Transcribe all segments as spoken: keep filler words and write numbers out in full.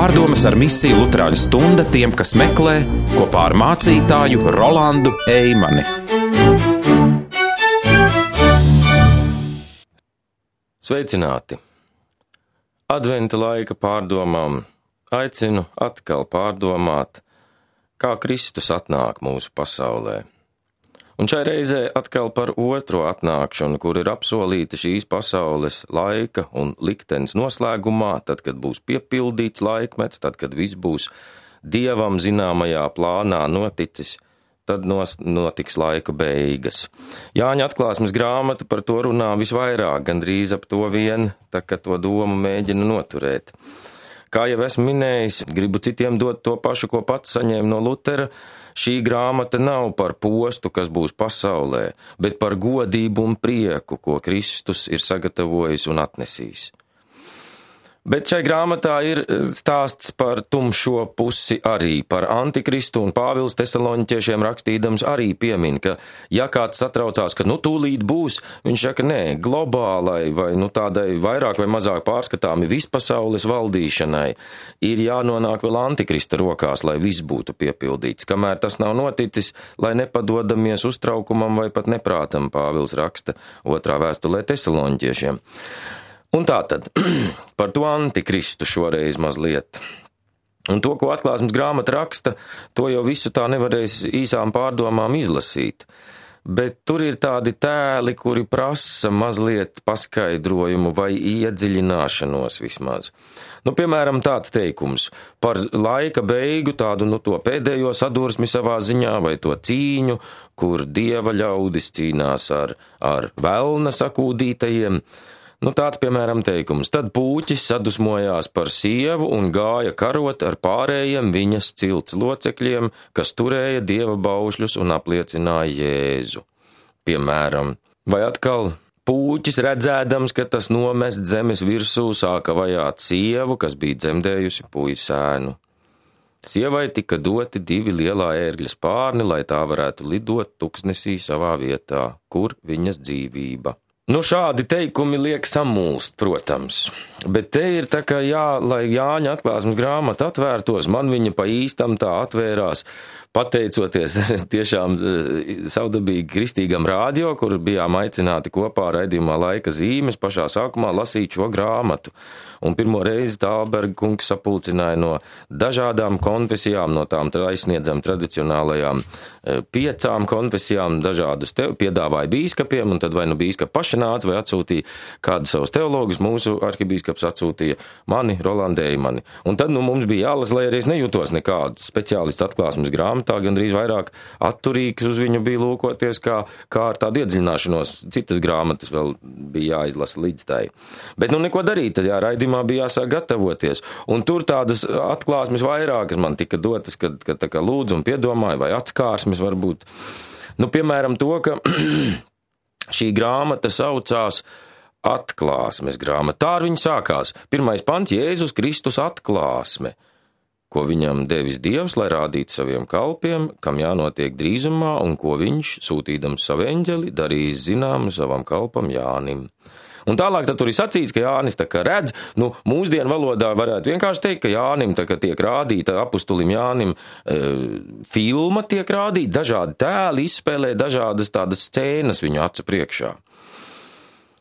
Pārdomas ar misiju Luterāņu stunda tiem, kas meklē, kopā ar mācītāju Rolandu Eimani. Sveicināti! Adventa laika pārdomām aicinu atkal pārdomāt, kā Kristus atnāk mūsu pasaulē. Un šai reizē atkal par otro atnākšanu, kur ir apsolīta šīs pasaules laika un liktenes noslēgumā, tad, kad būs piepildīts laikmets, tad, kad viss būs Dievam zināmajā plānā noticis, tad notiks laika beigas. Jāņa atklāsmes grāmata par to runā visvairāk, gandrīz ap to vien, tā kā to domu mēģina noturēt. Kā jau esmu minējis, gribu citiem dot to pašu, ko pats saņēmu no Lutera. Šī grāmata nav par postu, kas būs pasaulē, bet par godību un prieku, ko Kristus ir sagatavojis un atnesīs. Bet šai grāmatā ir stāsts par tumšo pusi arī, par antikristu, un Pāvils Tesaloņķiešiem rakstīdams arī piemin, ka ja kāds satraucās, ka nu tūlīt būs, viņš saka, nē, globālai vai nu tādai vairāk vai mazāk pārskatāmi vispasaules valdīšanai ir jānonāk vēl antikrista rokās, lai viss būtu piepildīts. Kamēr tas nav noticis, lai nepadodamies uztraukumam vai pat neprātam, Pāvils raksta otrā vēstulē Tesaloņķiešiem. Un tātad, par to antikristu šoreiz mazliet. Un to, ko atklāsmes grāmata raksta, to jau visu tā nevarēs īsām pārdomām izlasīt. Bet tur ir tādi tēli, kuri prasa mazliet paskaidrojumu vai iedziļināšanos vismaz. Nu, piemēram, tāds teikums par laika beigu, tādu, nu, to pēdējo sadursmi savā ziņā vai to cīņu, kur Dieva ļaudis cīnās ar, ar velna sakūdītajiem. Nu, tāds, piemēram, teikums. Tad pūķis sadusmojās par sievu un gāja karot ar pārējiem viņas cilts locekļiem, kas turēja Dieva baušļus un apliecināja Jēzu. Piemēram, vai atkal pūķis redzēdams, ka tas nomest zemes virsū sāka vajāt sievu, kas bija dzemdējusi puisēnu. Sievai tika doti divi lielā ērgļa spārni, lai tā varētu lidot tuksnesī savā vietā, kur viņas dzīvība. Nu, šādi teikumi liek samulst, protams, bet te ir tā kā jā, lai Jāņa atklāsmes grāmata atvērtos, man viņa pa īstam tā atvērās, pateicoties tiešām savdabīgi kristīgam rādio, kur bijām aicināti kopā raidījumā Laika zīmes pašā sākumā lasīt šo grāmatu. Un pirmo reizi Tālberga kungs sapulcināja no dažādām konfesijām, no tām aizsniedzam tradicionālajām piecām konfesijām, dažādus te, piedāvāja bīskapiem, un tad vai nu bīskapi paši nāca vai atsūtīja kādu savus teologus, mūsu arhibīskaps atsūtīja mani, Rolandu Eimani. Un tad nu, mums bija jālas, lai arī es nejūtos nekādu speciālistu atklāsmes grāmatā, gandrīz vairāk atturīgs uz viņu bija lūkoties, kā, kā ar tādu iedziļināšanos. Citas grāmatas vēl bija jāizlasa līdz tai. Bet nu neko darīt, tad jā, raidījumā bija jāsāk gatavoties. Un tur tādas atklāsmes vairākas man tika dotas, kad, kad tā kā lūdzu un piedomāju, vai atskārsmes varbūt. Nu, piemēram, to, ka šī grāmata saucās atklāsmes grāmata. Tā ar viņu sākās. Pirmais pants - Jēzus Kristus atklāsme, ko viņam devis Dievs, lai rādītu saviem kalpiem, kam jānotiek drīzumā, un ko viņš, sūtīdams savu eņģeli, darīs zināmu savam kalpam Jānim. Un tālāk tad tur ir sacīts, ka Jānis tā kā redz, nu, mūsdienu valodā varētu vienkārši teikt, ka Jānim tā kā tiek rādīta, apustulim Jānim e, filma tiek rādīta, dažādi tēli izspēlē, dažādas tādas scēnas viņu acu priekšā.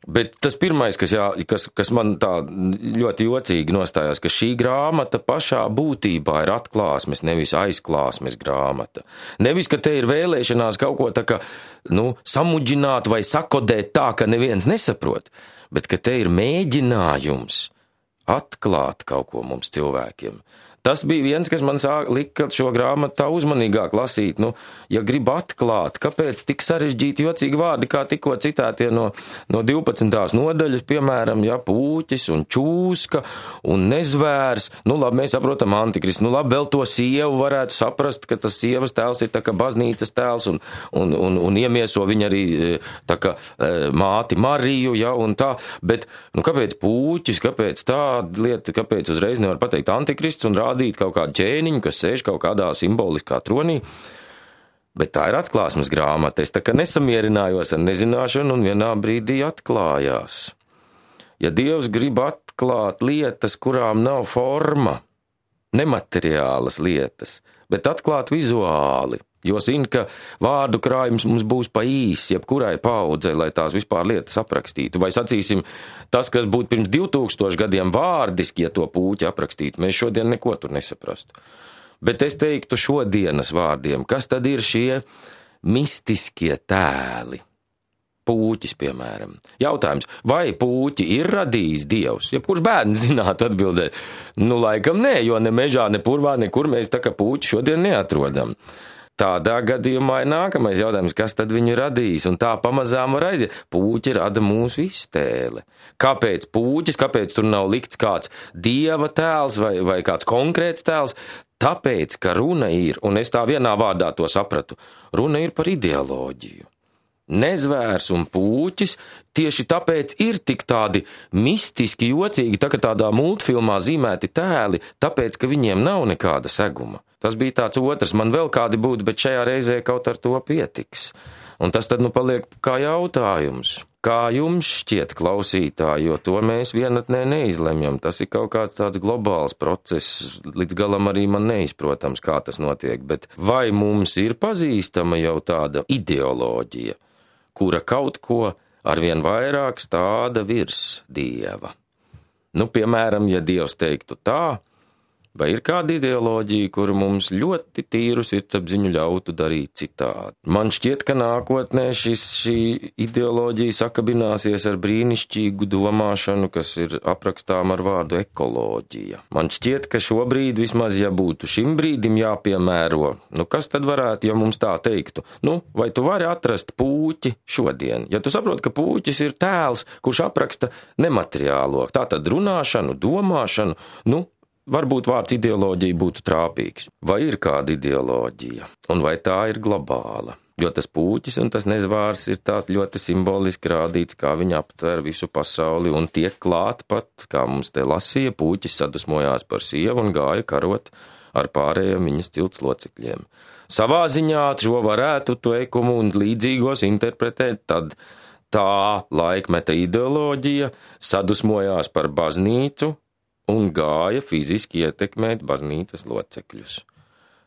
Bet tas pirmais, kas, jā, kas, kas man tā ļoti jocīgi nostājās, ka šī grāmata pašā būtībā ir atklāsmes, nevis aizklāsmes grāmata. Nevis, ka te ir vēlēšanās kaut ko tā kā, nu, samudžināt vai sakodēt tā, ka neviens nesaprot, bet ka te ir mēģinājums atklāt kaut ko mums cilvēkiem. Tas bija viens, kas man sāk lika šo grāmatu tā uzmanīgāk lasīt. Nu, ja grib atklāt, kāpēc tik sarežģīti jocīgi vārdi, kā tikko citētie no, no divpadsmitās nodaļas, piemēram, ja, pūķis un čūska un nezvērs. Nu, labi, mēs saprotam antikristu. Nu, labi, vēl to sievu varētu saprast, ka tas sievas tēls ir tā kā baznīcas tēls un, un, un, un iemieso viņa arī tā kā māti Mariju, ja, un tā. Bet, nu, kāpēc pūķis, kāpēc tāda lieta, kāpēc uzreiz nevar pateikt antikrists un rādīt rādīt kaut kādu ķēniņu, kas sēž kaut kādā simboliskā tronī, bet tā ir atklāsmes grāmata. Es tā kā nesamierinājos ar nezināšanu un vienā brīdī atklājās. Ja Dievs grib atklāt lietas, kurām nav forma, nemateriālas lietas, bet atklāt vizuāli, jo zina, ka vārdu krājums mums būs pa īsi, jebkurai paudzei, lai tās vispār lietas aprakstītu. Vai sacīsim, tas, kas būtu pirms divtūkstoši gadiem vārdiski, ja to puķi aprakstītu, mēs šodien neko tur nesaprastu. Bet es teiktu šodienas vārdiem, kas tad ir šie mistiskie tēli? Pūķis, piemēram. Jautājums, vai pūķi ir radījis Dievs? Jebkurš bērns zinātu atbildēt, nu laikam nē, jo ne mežā, ne purvā, nekur mēs tā kā pūķi šodien neatrodam. Tādā gadījumā ir nākamais jautājums, kas tad viņu radīs, un tā pamazām var aiziet. Pūķi rada mūsu iztēle. Kāpēc pūķis, kāpēc tur nav likts kāds Dieva tēls vai, vai kāds konkrēts tēls? Tāpēc, ka runa ir, un es tā vienā vārdā to sapratu, runa ir par ideoloģiju. Nezvērs un pūķis tieši tāpēc ir tik tādi mistiski jocīgi, tā kā tādā multfilmā zīmēti tēli, tāpēc, ka viņiem nav nekāda seguma. Tas bija tāds otrs, man vēl kādi būtu, bet šajā reizē kaut ar to pietiks. Un tas tad nu paliek kā jautājums. Kā jums šķiet, klausītāji, jo to mēs vienatnē neizlemjam. Tas ir kaut kāds tāds globāls process, līdz galam arī man neizprotams, kā tas notiek, bet vai mums ir pazīstama jau tāda ideoloģija, kura kaut ko arvien vairāk stāda virs Dieva? Nu, piemēram, ja Dievs teiktu tā, vai ir kāda ideoloģija, kura mums ļoti tīru sirdsapziņu ļautu darīt citādi? Man šķiet, ka nākotnē šis, šī ideoloģija sakabināsies ar brīnišķīgu domāšanu, kas ir aprakstām ar vārdu ekoloģija. Man šķiet, ka šobrīd vismaz, ja būtu šim brīdim jāpiemēro, nu kas tad varētu, ja mums tā teiktu? Nu, vai tu vari atrast pūķi šodien? Ja tu saproti, ka pūķis ir tēls, kurš apraksta nemateriālo, tātad runāšanu, domāšanu, nu, varbūt vārds ideoloģija būtu trāpīgs. Vai ir kāda ideoloģija? Un vai tā ir globāla? Jo tas pūķis un tas nezvārs ir tās ļoti simboliski rādīts, kā viņi aptver visu pasauli un tiek klāt pat, kā mums te lasīja, pūķis sadusmojās par sievu un gāja karot ar pārējiem viņas cilts locekļiem. Savā ziņā šo varētu teikumu un līdzīgos interpretēt tad tā laikmeta ideoloģija sadusmojās par baznīcu un gāja fiziski ietekmēt baznīcas locekļus.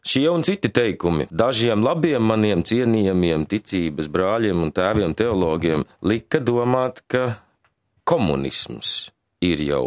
Šie un citi teikumi dažiem labiem maniem cienījamiem ticības brāļiem un tēviem teologiem lika domāt, ka komunisms ir jau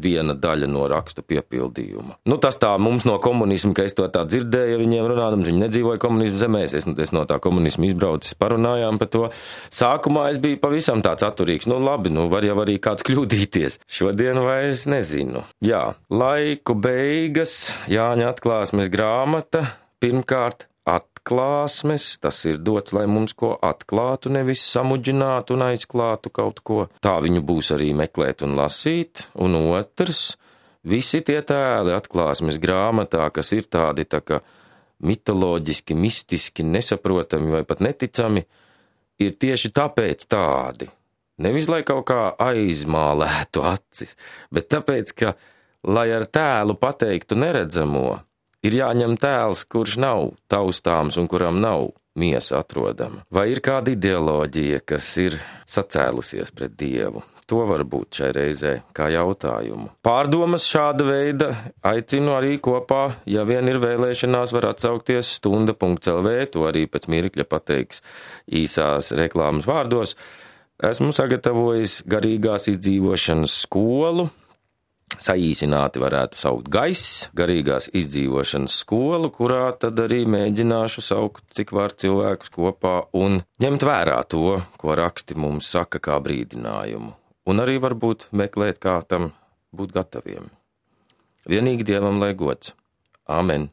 viena daļa no rakstu piepildījuma. Nu, tas tā mums no komunisma, ka es to tā dzirdēju, viņiem runādams, viņi nedzīvoja komunismu zemēs, es, es no tā komunismu izbraucis, parunājām par to. Sākumā es biju pavisam tāds atturīgs, nu labi, nu var jau arī kāds kļūdīties. Šodien vairs nezinu. Jā, laiku beigas, Jāņa atklāsmes grāmata, pirmkārt atklāsmes, tas ir dots, lai mums ko atklātu, nevis samudžinātu un aizklātu kaut ko. Tā viņu būs arī meklēt un lasīt, un otrs, visi tie tēli atklāsmes grāmatā, kas ir tādi tā kā mitoloģiski, mistiski, nesaprotami vai pat neticami, ir tieši tāpēc tādi. Nevis, lai kaut kā aizmālētu acis, bet tāpēc, ka, lai ar tēlu pateiktu neredzamo, ir jāņem tēls, kurš nav taustāms un kuram nav miesa atrodama. Vai ir kāda ideoloģija, kas ir sacēlusies pret Dievu? To var būt šai reizē kā jautājumu. Pārdomas šāda veida aicinu arī kopā, ja vien ir vēlēšanās, var atsaukties stunda punkts el vē, to arī pēc mirkļa pateiks īsās reklāmas vārdos. Esmu sagatavojis garīgās izdzīvošanas skolu, saīsināti varētu saukt gaiss, garīgās izdzīvošanas skolu, kurā tad arī mēģināšu saukt, cik var cilvēkus kopā un ņemt vērā to, ko raksti mums saka kā brīdinājumu. Un arī varbūt meklēt, kā tam būt gataviem. Vienīgi Dievam lai gods. Āmen.